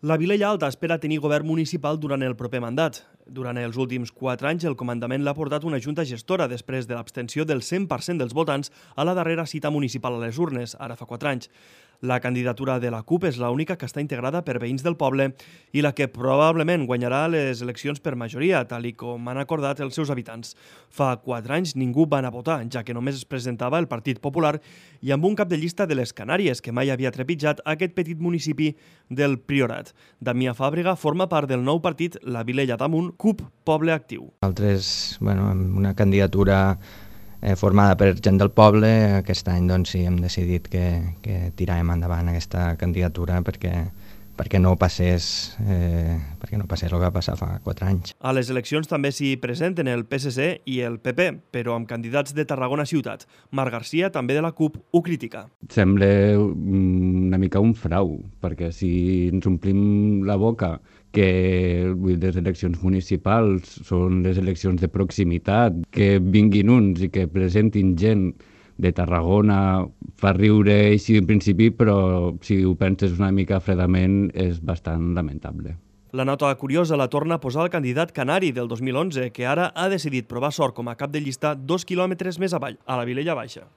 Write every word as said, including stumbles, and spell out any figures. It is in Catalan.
La Vilella Alta espera tenir govern municipal durant el proper mandat. Durant els últims quatre anys, el comandament l'ha portat una junta gestora després de l'abstenció del cent per cent dels votants a la darrera cita municipal a les urnes, ara fa quatre anys. La candidatura de la CUP és l'única que està integrada per veïns del poble i la que probablement guanyarà les eleccions per majoria, tal i com han acordat els seus habitants. Fa quatre anys ningú va anar a votar, ja que només es presentava el Partit Popular i amb un cap de llista de les Canàries, que mai havia trepitjat aquest petit municipi del Priorat. Damià Fàbrega forma part del nou partit La Vilella d'Amunt, CUP Poble Actiu. Nosaltres, bueno, amb una candidatura eh, formada per gent del poble, aquest any doncs, sí, hem decidit que, que tiràvem endavant aquesta candidatura perquè, perquè no passés eh, perquè no passés el que va passar fa quatre anys. A les eleccions també s'hi presenten el P S C i el P P, però amb candidats de Tarragona Ciutat. Marc Garcia, també de la CUP, ho critica. Sembla una mica un frau, perquè si ens omplim la boca que les eleccions municipals són les eleccions de proximitat, que vinguin uns i que presentin gent de Tarragona fa riure així en principi, però si ho penses una mica fredament és bastant lamentable. La nota curiosa la torna a posar el candidat canari del dos mil onze, que ara ha decidit provar sort com a cap de llista dos quilòmetres més avall, a la Vilella Baixa.